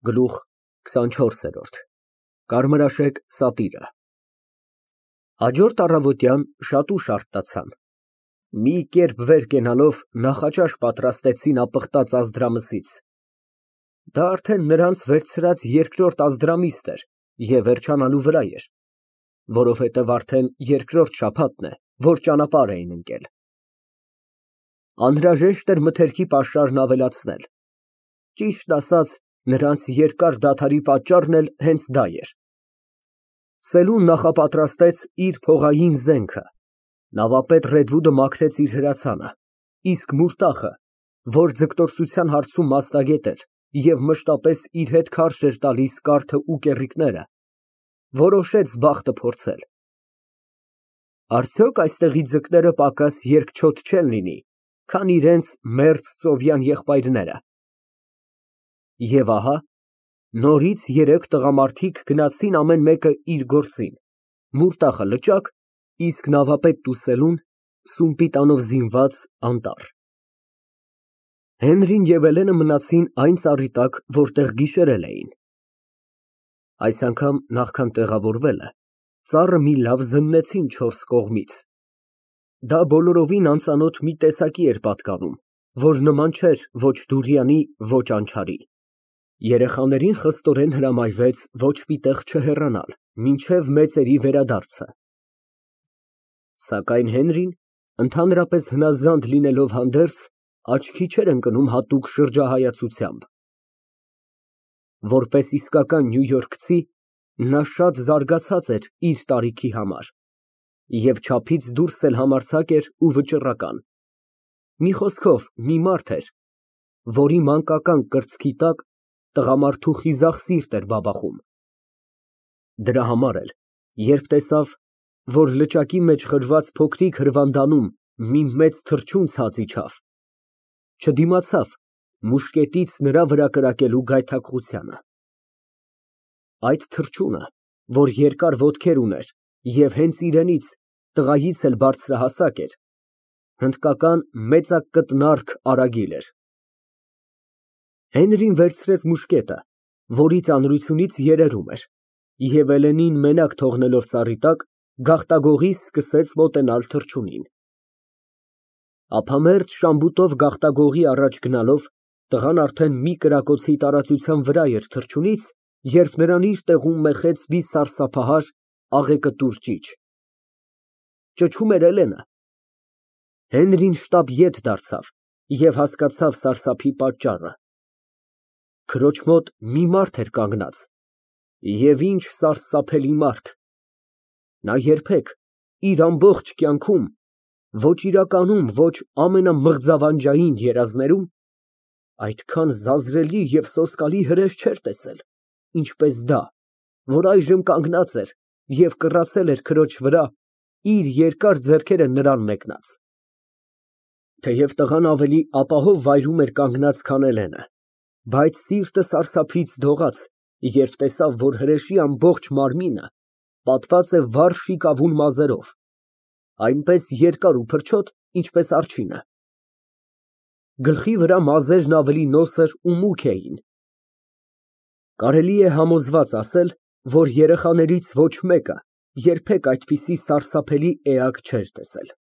Գլուխ քսանչորսերորդ Կարմրաշեկ սատիրը Հաջորդ առավոտյան շատ ուշ արթնացան, մի կերպ վեր կենալով նախաճաշ պատրաստեցին ապխտած Ազդրամսից, դա արդեն նրանց վերցրած երկրորդ Ազդրամիսն էր և վերջանալու վրա էր, որովհետև արդեն երկրորդ շաբաթն է, որ ճանապարհ էին ընկել, անհրաժեշտ էր մթերքի պաշարն ավելացնել, ճիշտն ասած նրանց երկար դադարի պատճառն էլ հենց դա էր։ Սելուն նախապատրաստեց իր փողային զենքը, նավապետ Ռեդվուդը մաքրեց իր հրացանը, իսկ Մուրտախը, որ ձգտորսության հարցում մասնագետ էր և մշտապես իր հետ քարշ էր տալիս կարթը ու կեռիկները, որոշեց բախտը փորձել։ Արդյոք այստեղի ձկները պակաս երկչոտ չեն լինի, քան իրենց մերձ ծովյան եղբայրները։ Եվ ահա, նորից երեք տղամարդիկ գնացին ամեն մեկը իր գործին, Մուրտախը լճակ, իսկ նավապետն ու Սելուն սումպիտանով զինված անտառ։ Հենրին և Էլենը մնացին այն ծառի տակ, որտեղ գիշերել էին։ Այս անգամ նախքան տեղավորվելը, ծառը մի լավ զննեցին չորս կողմից։ Դա բոլորովին անծանոթ մի տեսակի էր պատկանում, որ նման չէր ոչ դուրյանի, ոչ անչարի։ Երեխաներին խստորեն հրամայվեց ոչ մի տեղ չհեռանալ, մինչև մեծերի վերադարձը։ Սակայն Հենրին, ընդհանրապես հնազանդ լինելով հանդերձ, աչքի չէր ընկնում հատուկ շրջահայացությամբ։ Որպես իսկական նյույորքցի, նա շատ զարգացած էր իր տարիքի համար և չափից դուրս էլ համարձակ էր ու վճռական։ Մի խոսքով, մի մարդ էր, որի մանկական կրծքի տակ տղամարդու խիզախ սիրտ էր բաբախում։ Դրա համար էլ, երբ տեսավ, որ լճակի մեջ խրված փոքրիկ հրվանդանում մի մեծ թռչուն ցած իջավ, չդիմացավ մուշկետից նրա վրա կրակելու գայթակղությանը։ Այդ թռչունը, որ երկար ոտքեր ուներ և հենց իրենից, տղայից էլ բարձրահասակ էր, հնդկական մեծակտնարք արագիլ էր։ Հենրին վերցրեց մուշկետը, որի ծանրությունից երերում էր, և Էլենին մենակ թողնելով ծառի տակ, գաղտագողի սկսեց մոտենալ թռչունին։ Ափամերձ շամբուտով գաղտագողի առաջ գնալով, տղան արդեն մի կրակոցի տարածության վրա էր թռչունից, երբ նրան իր տեղում մեխեց մի սարսափահար, աղեկտուր ճիչ։ Ճչում էր Էլենը։ Հենրին շտապ ետ դարձավ և հասկացավ սարսափի պատճառը։ Քրոջ մոտ մի մարդ էր կանգնած, և ինչ սարսափելի մարդ։ Նա երբեք իր ամբողջ կյանքում, ոչ իրականում, ոչ ամենամղձավանջային երազներում, այդքան զազրելի և սոսկալի հրեշ չէր տեսել, ինչպես դա, որ այժմ կանգնած էր և կռացել էր քրոջ վրա, իր երկար ձեռքերը նրան մեկնած։ Թեև տղան ավելի ապահով վայրում էր կանգնած, քան Էլենը, բայց սիրտը սարսափից դողաց, երբ տեսավ, որ հրեշի ամբողջ մարմինը պատված է վառ շիկավուն մազերով, այնպես երկար ու փրչոտ, ինչպես արջինը։ Գլխի վրա մազերն ավելի նոսր ու մուգ էին։ Կարելի է համոզված ասել, որ երեխաներից ոչ մեկը երբեք այդպիսի սարսափելի էակ չէր տեսել։